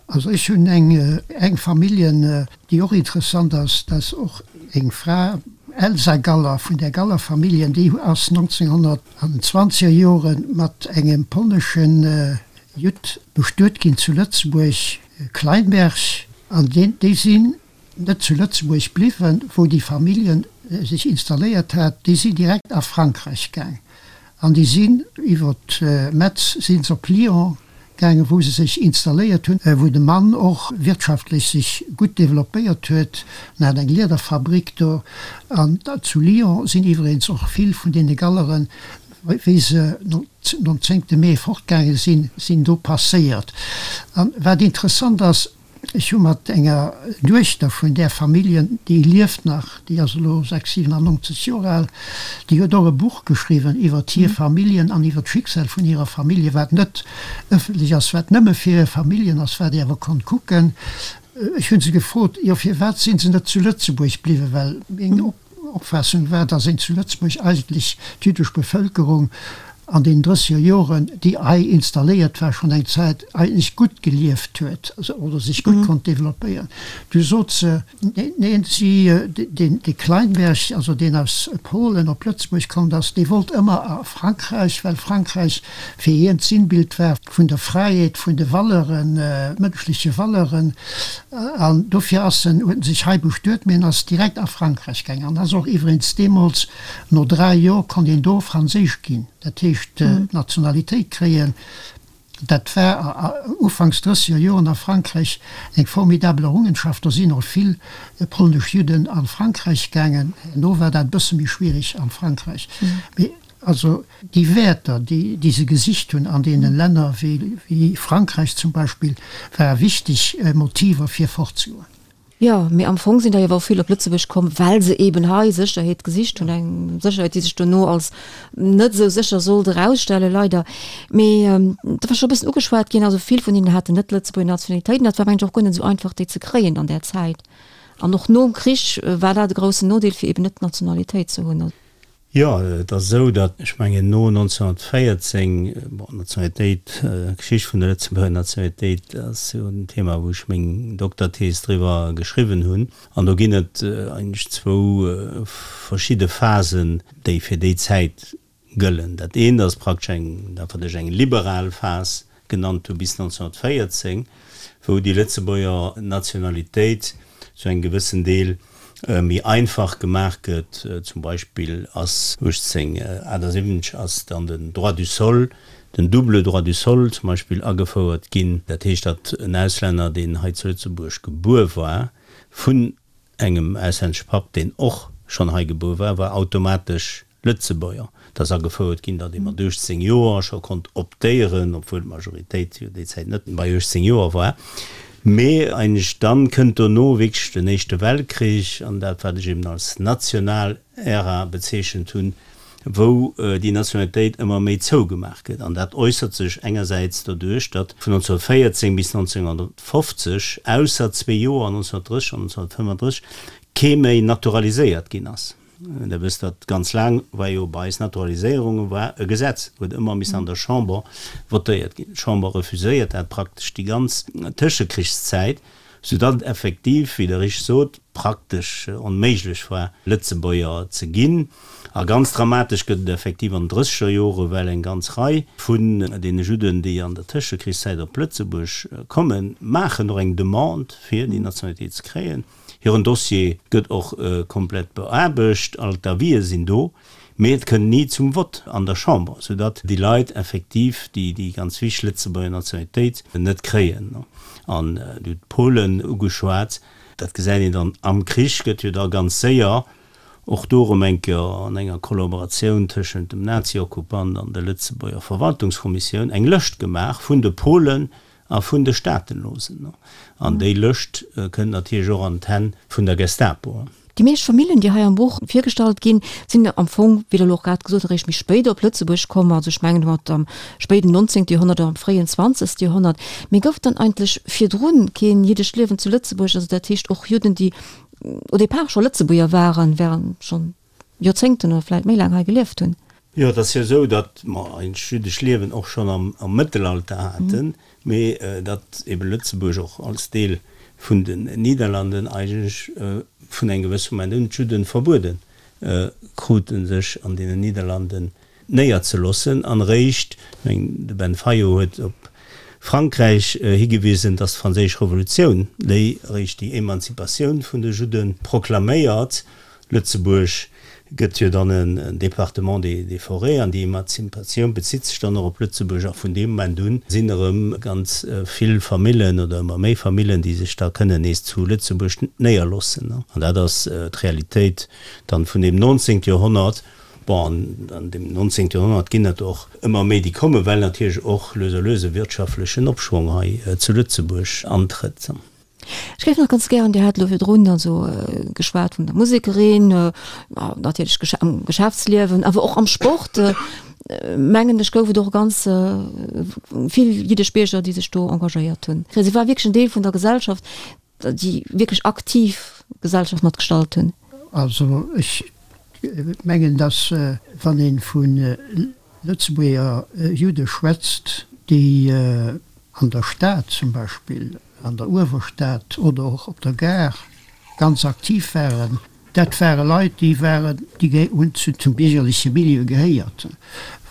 Also ech hunn eng eng Familljen, déi och interessant ass, dat ass och eng Fra, Elsa Galler, vun där Galler Familljen, déi ass nonzénghonnert an den zwanzeger Jore mat engem polneschen Judd bestuet ginn zu Lëtzebuerg, Kleinberg, an deen déi sinn net zu Lëtzebuerg bliwwen, wou déi Familljen sech installéiert hat, déi sinn direkt a Frankräich gaang an déi sinn iwwer Metz si se op Lyon gaangen, wou se sech installéiert hunn, wou de Mann och wirtschaftlech sech gutt developpéiert huet. En hat eng Liederfabrik do an zu Lyon sinn iwweregens och vill vun deene Galleren, wéi se nom zéngte Mee fortgaange sinn, sinn do passéiert. An wat interessant ass, Ech hu mat enger Duechter vun där Familljen, déi lieft nach, déi ass elo sechs, siwenannonzeg Joer al, déi huet och e Buch geschriwwen iwwert hir Familljen an iwwert d'Schicksal vun hirer Famillje, wat net ëffentlech ass, wat nëmme fir hir Familljen ass, wat ee awer konnt kucken. Ech hu se gefrot, jo firwat si se net zu Lëtzebuerg bliwwen, well meng Opfaassung war, datt een zu Lëtzebuerg eigentlech d'jüddesch Bevëlkerung an deenen drësseger Joren, déi hei installéiert war schonn eng Zäit, eigentlech gutt gelieft huet oder sech gutt konnt developpéieren. Du sot se, neen, si, deen, dee Kleinberg, also deen aus Polen op Lëtzebuerg komm ass, dee wollt ëmmer a Frankräich, well Frankräich fir hien d'Sinnbild war vun der Fräiheet, vun de Valeuren, mënschleche Valeuren. An dofir ass en, huet en sech hei bestuet, mee en ass direkt a Frankräich gaangen an ass och iwweregens deemools, no dräi Joer konnt een do franséisch ginn. Dat heescht d'Nationalitéit kréien, dat war ufanks drësseger Joren a Frankräich eng formidabel Errungenschaft. Do sinn och vill polnesch Judden a Frankräich gaangen. Herno war dat e bësse méi schwierig a Frankräich. Mee also déi Wäerter, déi se gesicht hunn an deene Länner wéi Frankräich zum Beispill, ware wichteg Motiver fir fortzegoen. Jo, mee am Fong sinn der jo awer och vill op Lëtzebuerg komm, well se eeben hei Sécherheet gesicht hunn, eng Sécherheet, déi sech dono als net esou sécher sollt erausstellen, leider. Mee dat war scho e bëssen ugeschwat ginn, also vill vun hinnen haten net d'Lëtzebuerger Nationalitéit an dat war mengen ech och guer net esou einfach, déi ze kréien an där Zäit. An och nom Krich war dat e groussen Nodeel, fir eeben net d'Nationalitéit ze hunn. Jo, et ass esou, datt, ech mengen, no nonzénhunnertvéierzéng, bon, d'Nationalitéit, d'Geschicht vun der Lëtzebuerger Nationalitéit ass jo en Thema, wou ech meng Dokterthees driwwer geschriwwen hunn. An do ginn et eigentlech zwou verschidde Phasen, déi fir déi Zäit gëllen. Dat eent ass praktesch eng, dat wat ech eng liberal Phas genannt hu bis nonzénhunnertvéierzéng, wou déi Lëtzebuerger Nationalitéit zu engem gewëssen Deel méi einfach gemaach gëtt. Zum Beispill ass uechtzénghunnertachtasiwwenzeg ass dann den Droit du sol, den double droit du sol zum Beispill agefouert ginn. Dat heescht, datt en Auslänner, deen hei zu Lëtzebuerg gebuer war, vun engem auslännesche Papp, deen och schonn hei gebuer war, war automatesch Lëtzebuerger. Et ass agefouert ginn, datt ee mat uechtzéng Joer scho konnt optéieren, obwuel d'Majoritéit jo déi Zäit net bei uechtzéng Joer war. Mee eigentlech dann kënnt dono wierklech den Éischte Weltkrich an dat, wat ech eben als national Ära bezeechent hunn, wou déi Nationalitéit ëmmer méi zougemaach gëtt. An dat äussert sech engersäits doduerch, datt vun nonzénhunnertvéierzéng bis nonzénhunnertfofzeg, ausser zwee Joer, nonzénhunnertdrësseg an nonzénhunnertfënnefandrësseg, kee méi naturaliséiert ginn ass. Der wësst, datt ganz laang war jo bei eis Naturaliséierunge war e Gesetz, huet ëmmer missen an der Chamber votéiert ginn. D'Chamber refuséiert dat praktesch déi ganz Tëschekrichszäit, soudatt et effektiv, wéi Der richteg sot, praktesch onméiglech war, Lëtzebuerger ze ginn. A ganz dramatesch gëtt et effektiv an den drësseger Jore, well eng ganz Rei vun deene Judden, déi an der Tëschekrichszäit op Lëtzebuerg kommen, maachen och eng Demande, fir déi Nationalitéit ze kréien. Hiren Dossier gëtt och komplett beaarbecht, all d'Avisë sinn do, mee et kënnt ni zum Vott an der Chamber, soudatt déi Leit effektiv déi déi ganz wichteg Lëtzebuerger Nationalitéit net kréien. An Dir hutt d'Polen ugeschwat, dat gesäit een dann am Krich, gëtt jo da ganz séier och do erëm eng Kéier an enger Kollaboratioun tëschent dem Nazi-Okkupant an der Lëtzebuerger Verwaltungskommissioun eng Lëscht gemaach vun de Polen, A vun de Staatenlosen. An déi Lëscht kënnt natierlech och an d'Hänn vun der Gestapo. Déi meescht Familljen, déi hei am Buch virgestallt ginn, sinn am Fong, wéi Der elo och grad gesot hutt, eréischt méi spéit op Lëtzebuerg komm, also ech mengen mat am spéiden nonzéngte Joerhonnert oder am fréien zwanzegste Joerhonnert. Mee gouf dann eigentlech virdrun keen jiddescht Liewen zu Lëtzebuerg, also dat heescht och Judden, déi au départ scho Lëtzebuerger waren, während schonn Joerzéngten oder vläicht méi laang hei gelieft hunn? Jo, et ass jo esou, datt mer ein jüddescht Liewen och schonn am Mëttelalter haten, mee datt ebe Lëtzebuerg och als Deel vun den Niederlanden eigentlech vun engem gewësse Moment un d'Judde verbuede kruten, sech an deenen Niederlanden néierzeloossen. An eréischt, ech mengen, de Ben Fayot huet op Frankräich higewisen, datt d'Franséisch Revolutioun déi eréischt déi Emanzipatioun vun de Judde proklaméiert. Lëtzebuerg gëtt jo dann en Département des forêts an déi Emanzipatioun bezitt sech dann och op Lëtzebuerg a vun deem Moment un sinn erëm ganz vill Famillen oder ëmmer méi Famillen, déi sech da kënnen nees zu Lëtzebuerg néierloossen. An dat ass d'Realitéit dann vun deem neunzehnten Joerhonnert. Bon, an deem neunzehnten Joerhonnert ginn et och ëmmer méi, déi kommen, well natierlech och lues a lues e wirtschaftlechen Opschwong hei zu Lëtzebuerg antrëtt. Ech géif nach ganz gären, Dir hat elo virdrun also geschwat vun der Musekerin, natierlech am Geschäftsliewen, awer och am Sport, mengen ech, gouf et och ganz vill jiddesch Bierger, déi sech do engagéiert hunn. Si war wierklech en Deel vun der Gesellschaft, déi wierklech aktiv d'Gesellschaft mat gestalt hunn. Also ech mengen, datt wann ee vu Lëtzebuerger Judde schwätzt, déi an der Stad zum Beispill, an der Uewerstad oder och op der Gare ganz aktiv waren, dat ware Leit, déi waren, déi hunn zum biergerleche Milieu gehéiert.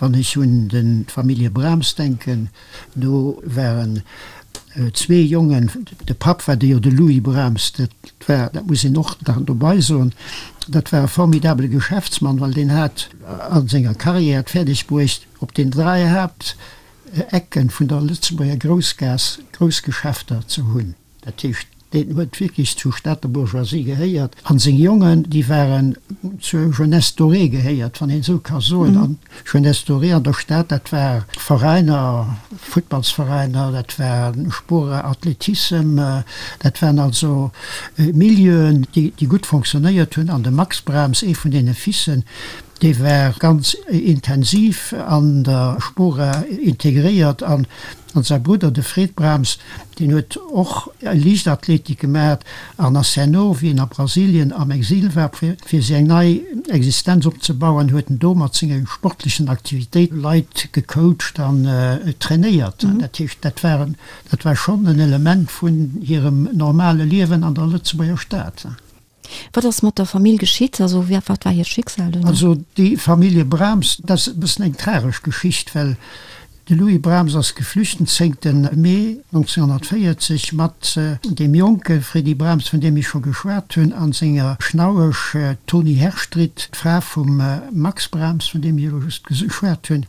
Wann ech un d'Famillje Brahms denken, do waren zwee Jongen, de Papp war de jo de Louis Brahms, dat war, dat muss een och nach dobei soen, dat war e formidabele Geschäftsmann, well deen hat a senger Carrière et fäerdeg bruecht, op den dräi Haapt Ecken vun der Lëtzebuerger Groussgaass grouss Geschäfter ze hunn. Dat heescht, deen huet wierklech zur Stater Bourgeoisie gehéiert. An seng Jongen, déi waren zur Jeunesse dorée gehéiert, wann een esou ka soen. An Jeunesse dorée an der Stad, dat war Veräiner, Futtballsveräiner, dat war Sport, Athletissem, dat waren also Milieuen, déi gutt fonctionnéiert hunn. An de Max Brahms, ee vun deene Fissen, Dee war ganz intensiv an der Spora integréiert an säi Brudder, de Fred Brahms, deen huet och Liichtathletik gemaat an ass herno, wéi en a Brasilien am Exil war, fir sech eng nei Existenz opzebauen, huet en do mat senge sportlechen Aktivitéite Leit gecoacht an trainéiert. Dat heescht, dat war, dat war schonn en Element vun hirem normale Liewen an der Lëtzebuerger Stad. Wat ass mat der Famill geschitt? Also wat war hiert Schicksal duerno? Also déi Famillje Brahms, dat ass e bëssen eng tragesch Geschicht, well de Louis Brahms ass geflücht den zéngte Mee neunzehnhundertvéierzeg mat deem jonke Freddy Brahms, vun deem ech scho geschwat hunn, a senger Schnauesch Toni Herstritt, d'Fra vum Max Brahms, vun deem ech elo just geschwat hunn.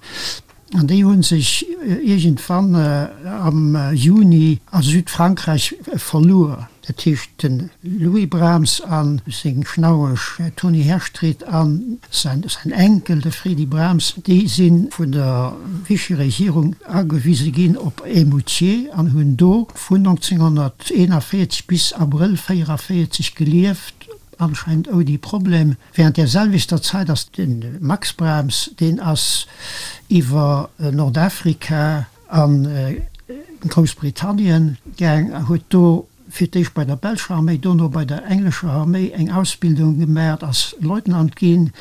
An déi hu sech iergendwann am Juni a Südfrankräich verluer. Dat heescht, de Louis Brahms a seng Schnauesch Toni Herstritt a säin Enkel, de Fredy Brahms, déi si vun der Vichy-Regierung agewise ginn op Eymoutiers an hunn do vun neunzehnhunderteenundvierzig bis Abrëll véierundvierzig gelieft. anscheinend ouni Problem. Während där selwechter Zäit ass de Max Brahms, deen ass iwwer Nordafrika a Groussbritannien gaang a huet do fir d'éischt bei der belscher Arméi, dono bei der englescher Arméi eng Ausbildung gemaach, ass Leutnant ginn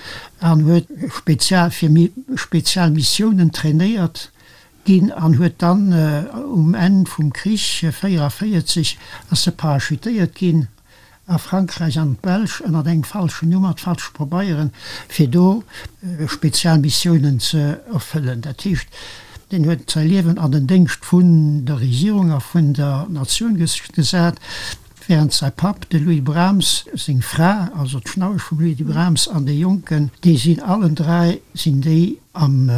an huet spezial fir spezial Missiounen trainéiert ginn an huet dann um Enn vum Krich véierundavéierzeg ass e parachutéiert ginn a Frankräich an d'Belsch ënnert engem falschen Numm, mat falsche Pabeieren, fir do spezial Missiounen ze erfëllen. Dat heescht, deen huet säi Liewen an den Déngscht vun der Regierung a vun der Natioun gesat, während säi Papp, de Louis Brahms, seng Fra, also d'Schnauesch vum Louis Brahms, an de Jonken, déi sinn allen dräi sinn déi am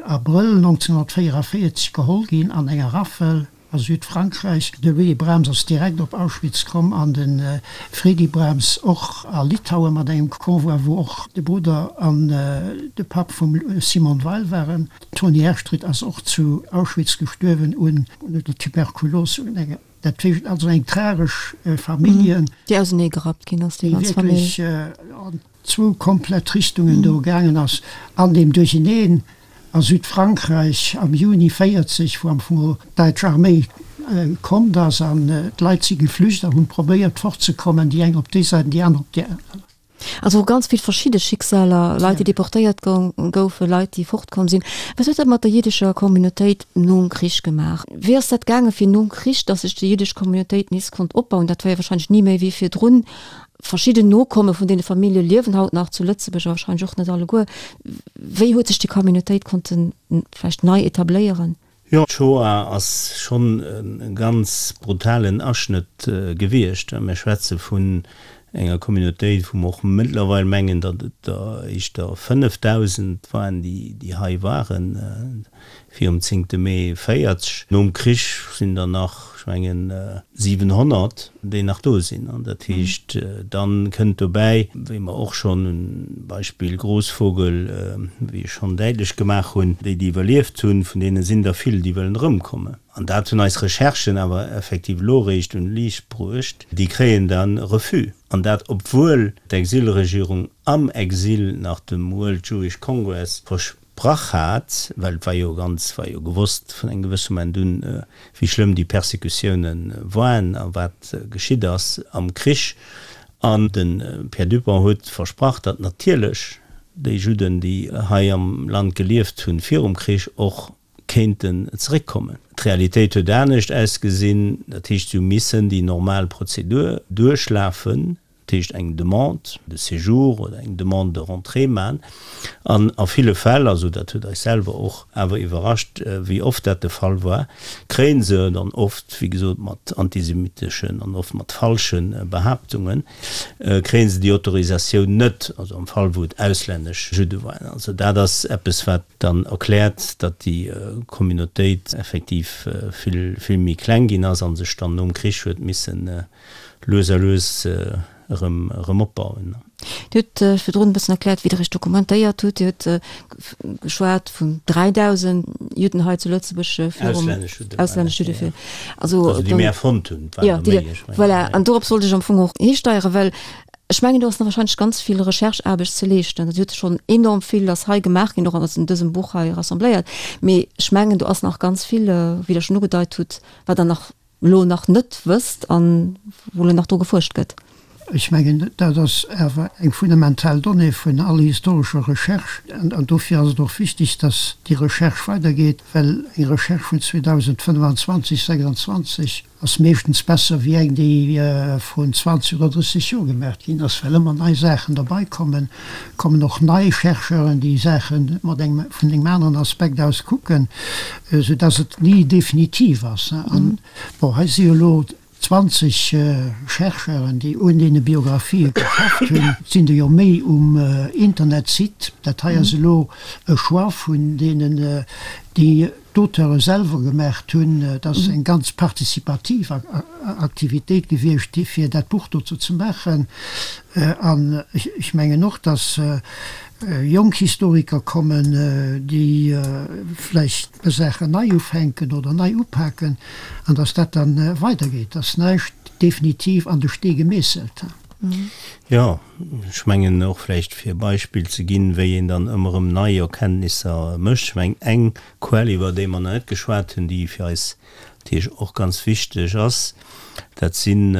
Abrëll nonzénhunnertvéieranvéierzeg geholl ginn an enger Raffel a Südfrankräich. De Willy Brahms ass direkt op Auschwitz komm an de Fredy Brahms och a Litauen mat engem Convoi, wou och de Brudder an de Papp vum Simone Weil waren. D'Toni Herstritt ass och zu Auschwitz gestuerwen un der Tuberkulos. Dat heescht also eng tragesch Familljen. Déi ausenee gerappt ginn ass, déi ganz Famill. Déi wierklech an zwou komplett Richtungen do gaangen ass an deem Duercheneen a Südfrankräich am Juni véierzeg, wou am Fong d'däitsch Arméi kommt ass an d'Leit si geflücht a hunn probéiert fortzekommen, déi eng op déi Säit an déi aner op déi aner. Also ganz vill verschidde Schicksaler, Leit déi deportéiert goufen, Leit déi fortkomm sinn. Wat huet dat mat der jiddescher Communautéit nom Krich gemaach? Wéi ass dat gaange fir nom Krich, datt sech déi jiddesch Communautéit nees konnt opbauen? Dat war jo wahrscheinlech ni méi wéi virdrun. Verschidden Nokomme vun deene Famillje liewen haut nach zu Lëtzebuerg, awer wahrscheinlech och net alleguer. Wéi huet sech déi Communautéit konnten vläicht nei etabléieren? Jo, d'Shoah ass schonn e ganz brutalen Aschnëtt gewiescht. Mir schwätze vun enger Communautéit, wou mer och mëttlerweil mengen, datt et der éischter fënnefdausend waren, déi hei waren virum zéngte Mee véierzeg. Nom Krich sinn der nach, ech mengen, siwenhonnert, déi nach do sinn. An dat heescht, dann kënnt dobäi, wéi mer och schonn um Beispill Grossvogel, wéi ech schonn däitlech gemaach hunn, déi, déi iwwerlieft hunn, vun deene sinn der vill, déi wëllen erëmkommen. An dat hunn eis Recherchen awer effektiv elo eréischt un d'Liicht bruecht, déi kréien da Refus. An dat obwuel d'Exilregierung am Exil nach dem World Jewish Congress versprach hat, well et war jo ganz, war jo gewosst vun engem gewësse Moment un, wéi schlëmm déi Persécutioune waren a wat geschitt ass am Krich. An de Pierre Dupong huet versprach, datt natierlech déi Judden, déi hei am Land gelieft hunn virum Krich, och kéinten zeréckkommen. D'Realitéit huet anescht ausgesinn, dat heescht, si hu missen déi normal Prozedur duerchlafen, dat heescht eng Demande de séjour oder eng Demande de rentrée man. An a ville Fäll, also dat huet eis selwer och awer iwwerrascht, wéi oft dat de Fall war, kréie se dann oft, wéi gesot, mat antisemiteschen an oft mat falsche Behaaptungen, kréie se déi Autorisatioun net, also am Fall wou et auslännesch Judde waren. Also dat ass eppes, wat dann erkläert, datt déi Communautéit effektiv vill, vill méi kleng ginn ass a sech dann nom Krich huet missen lues a lues erëm, erëm opbauen. Dir hutt virdrun e bëssen erkläert, wéi Der Iech dokumentéiert hutt. Dir hutt geschwat vun dräidausend Judden hei zu Lëtzebuerg virum, Auslännesch Judden, auslännesch Judde ja. vir, also Also déi dann, mir erfonnt hunn, et waren ja, der déi méi, der, ech mengen, voilà. ja. An dorops wollt ech am Fong och histeieren, well Ech mengen, do ass nach wahrscheinlech ganz vill Rechercheaarbecht ze leeschten. Et huet schonn enorm vill ass hei gemaach ginn, och an dësem Buch hei rassembléiert. Mee ech mengen, do ass nach ganz vill, wéi Der schonn ugedeit hutt, wat Der nach elo nach net wësst an wou elo nach dru gefuerscht gëtt. Ech mengen, dat ass awer eng fundamental Donnée vun all historescher Recherche. An dofir ass et och wichtig, dass déi Recherche weidergeet, well eng Recherche vun zweedausendfënnefanzwanzeg, sechsundzwanzeg ass meeschtens besser wéi eng, déi vrun zwanzeg oder drësseg Joer gemaach ginn ass, well ëmmer nei Saachen derbei kommen, kommen och nei Chercheuren, déi Saache mat engem, vun engem aneren Aspekt aus kucken, soudass et ni definitiv ass. An, bon, hei si jo elo zwanzeg Chercheuren, déi un deene Biografië geschafft hunn. Et sinn der jo méi um Internetsite. Dat hei ass elo e Choix vun deenen, déi d'Auteure selwer gemaacht hunn. Et ass eng ganz participativ Aktivitéit gewiescht, fir dat Buch dozou ze maachen. An ech mengen och, datt jonk Historiker kommen, déi vläicht Saachen nei ufänken oder nei upaken, an datt dat da weidergeet, datt näischt definitiv an de Stee gemeesselt. Jo, ech mengen och vläicht fir e Beispill ze ginn, wéi een dann ëmmer erëm nei Erkenntnisser mécht. Ech mengen eng Quell, iwwer déi mer nach net geschwat hunn, déi fir eis natierlech och ganz wichteg ass, dat sinn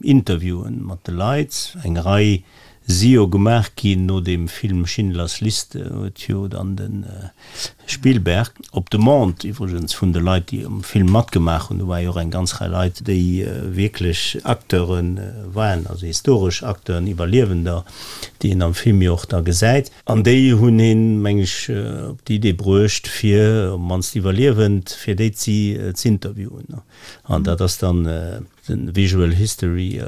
Interviewen mat de Leit. Eng Rei si jo gemaach ginn no deem Film Schindlers Liste, huet jo dann de Spielberg, op Demande iwwregens vun de Leit, déi um Film matgemaach hunn, do war jo och eng ganz Rei Leit, déi wierklech Acteure waren, also historesch Acteuren, Iwwerliewender, déi een am Film jo och da gesäit, an déi hunn hien, meng ech, op déi Idee bruecht, fir op d'mannst Iwwerliewend, fir déi z'interviewen. An dat ass dann de Visual History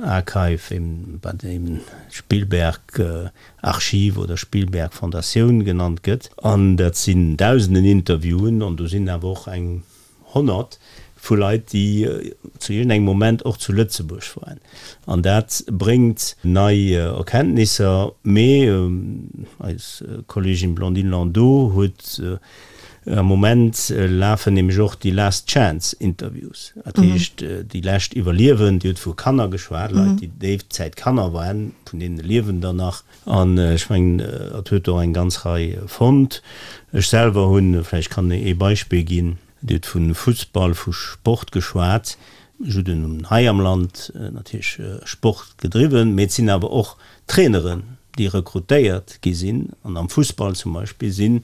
Archive, eben wat eben Spielberg Archiv oder Spielberg Fondatioun genannt gëtt. An dat sinn dausenden Interviewen an do sinn awer och eng honnert vu Leit, déi zu iergendengem Moment och zu Lëtzebuerg waren. An dat bréngt nei Erkenntnisser. Mee eis Kolleegin Blandine Landot huet Am Moment lafen nämlech och déi Last Chance Interviews, dat heescht déi lescht Iwwerliewend, Dir hutt vu Kanner geschwat, Leit, déi déi Zäit Kanner waren, vun deene liewen der nach. An ech mengen, et huet och eng ganz Rei fonnt. Ech selwer hunn, vläicht kann ee Beispill ginn, Dir hutt vu Fussball, vu Sport geschwat, Judden hunn hei am Land natierlech Sport gedriwwen, mee et sinn awer och Traineren, déi rekrutéiert gi sinn. An am Fussball zum Beispill sinn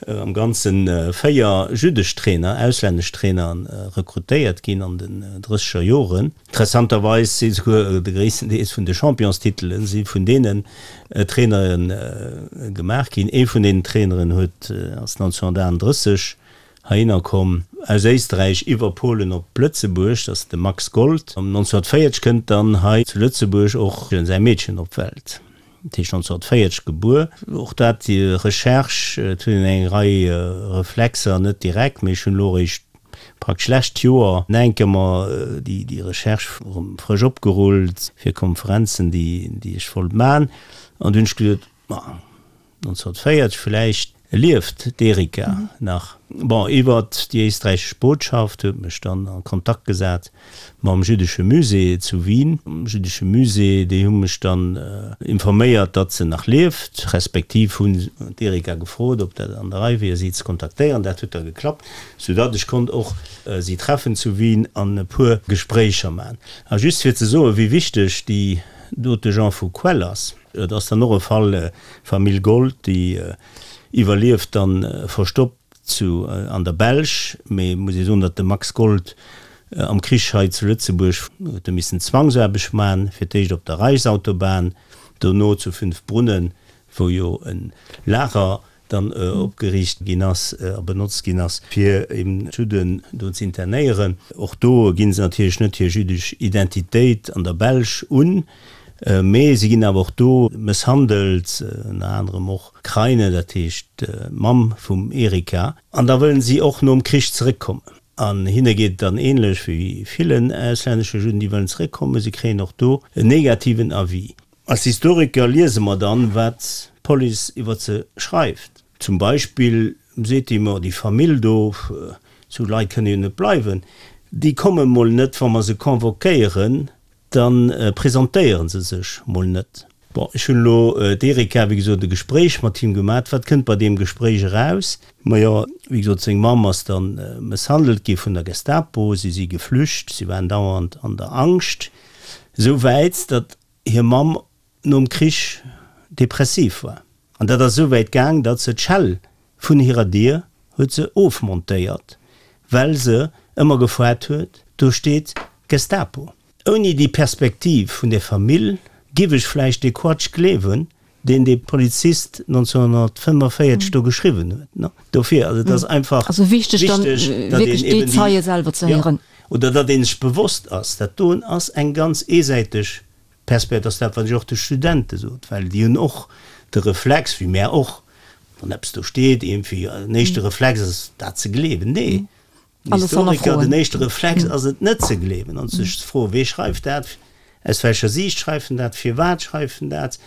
am Ganze véier jüddesch Trainer, auslännesch Trainer rekrutéiert ginn an den drësseger Joren. Interessanterweis si souguer de gréissten Deel vun de Championstitele si vun deenen Trainere gemaach ginn. Ee vun deenen Traineren huet ass nonzénhunnertaachunddrësseg heihinner komm, aus Éisträich iwwer Polen op Lëtzebuerg, dat ass de Max Gold. Nonzénhunnertvéierzeg kënnt dann hei zu Lëtzebuerg och säi Meedchen op d'Welt. Dat heescht nonzénhunnertvéierzeg gebuer. Och dat, déi Recherche, et hunn een eng Rei Reflexer, net direkt, mee ech hunn elo eréischt praktesch lescht Joer nach eng Kéier mer déi, déi Recherche erëm frësch opgerullt fir Konferenzen, déi, déi ech wollt man. An du hunn ech gesot, ma nonzénhunnertvéierzeg, vläicht lieft d'Erika nach. Bon, iwwert déi éisträichesch Botschaft huet mech dann a Kontakt gesat mam jüddesche Musée zu Wien. Am jüddesche Musée, déi hu mech dann informéiert, datt se nach lieft, respektiv hunn d'Erika gefrot, ob dat an der Rei wier, si ze kontaktéieren. Dat huet da geklappt, soudatt ech konnt och si treffen zu Wien an e puer Gespréicher maachen. A just fir ze soen, wéi wichteg déi dote Genre vu Quell ass, Et ass dann och e Fall, Famill Gold, déi iwwerlieft dann verstoppt zu an der Belsch, mee muss ee soen, datt de Max Gold am Krich hei zu Lëtzebuerg huet e missen Zwangsaarbecht man, fir d'éischt op der Reichsautobahn, dono zu Fünfbrunnen, wou jo e Lager dann opgeriicht ginn ass a benotzt ginn ass, fir eben d'Judden do ze internéieren. Och do ginn se natierlech net hir jüddesch Identitéit an der Belsch un, mee si ginn awer och do mësshandelt, ënner anerem och d'Kraine, dat heescht d'Mamm vum Erika. An da wëllen si och nom Krich zeréckkommen. An hinne geet et dann änlech wéi villen auslännesche Judden, déi wëllen zeréckkommen, si kréien och do en negativen Avis. Als Historiker liese mer dann, wat d'Police iwwer se schreift. Zum Beispill seet déi, Ma déi Famill do, esou Leit kënne jo net bleiwen, déi komme mol net, wa mer se convoquéieren, da presentéiere se sech mol net. Bon, ech hunn elo d'Erika, wéi gesot, e Gespréich mat him gemat. Wat kënnt bei deem Gespréich eraus? Majo, wéi gesot, seng Mamm ass da mësshandelt gi vun der Gestapo, si si geflücht, si waren dauernd an der Angscht, esou wäit, datt hir Mamm nom Krich depressiv war. An dat ass esou wäit gaang, datt se d'Schell vun hirer Dier huet se ofmontéiert, well se ëmmer gefoart huet, do steet Gestapo. Ouni déi Perspektiv vun der Famill giff ech vläicht dee Quatsch gleewen, deen dee Polizist nonzénhunnertfënnefenvéierzeg do geschriwwen huet. Dofir, also et ass einfach Also wichteg dann wichteg, datt wierklech een déi eben déi, Zeie selwer ze jo, héieren. oder datt ee sech bewosst ass, dat doen ass eng ganz eesäiteg Perspektiv. Dat ass dat, wat ech och de Studente sot, well déi hunn och de Reflex, wéi mär och, wann eppes do steet, iergendwéi, den éischte Reflex ass, dat ze gleewen. Nee, den Alles Historiker, hannerfroen. den éischte Reflex ass et net ze gleewen an sech ze froen, wee schreift dat, Aus welcher Siicht schreift en dat? Firwat schreift en dat?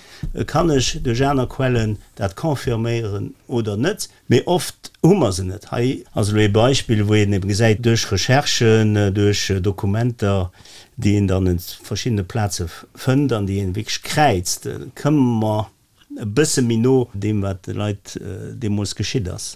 Kann ech duerch aner Quellen dat confirméieren oder net? Mee oft hu mer se net. Hei ass elo ee Beispill, wou een eben gesäit, duerch Recherchen, duerch Dokumenter, déi een dann un verschiddene Plaze fënnt an déi een wierklech kräizt, këmme mer e bësse méi no deem, wat de Leit deemools geschitt ass.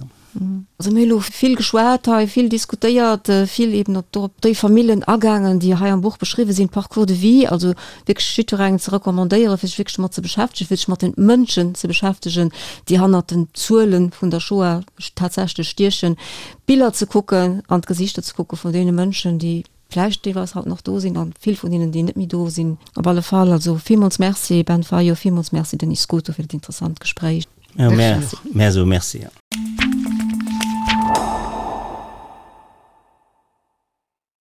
Also mir hu lo vill geschwat hei, vill diskutéiert, vill eben op op déi Famillen agaangen, déi hei am Buch beschriwwen sinn, Parcours de vie, also wierklech jiddwerengem ze recommandéieren, fir sech wierklech domat ze beschäftegen, fir sech mat den Mënschen ze beschäftegen, déi hannert den Zuele vun der Shoah tatsächlech stiechen, d'Biller ze kucken an d'Gesichter ze kucke vun deene Mënschen, déi vläicht deelweis haut nach do sinn an vill vun hinnen, déi net méi do sinn. Op alle Fall also villmools Merci Ben Fayot, villmools Merci Denis Scuto fir dat interessant Gespréich. Merci. Merci.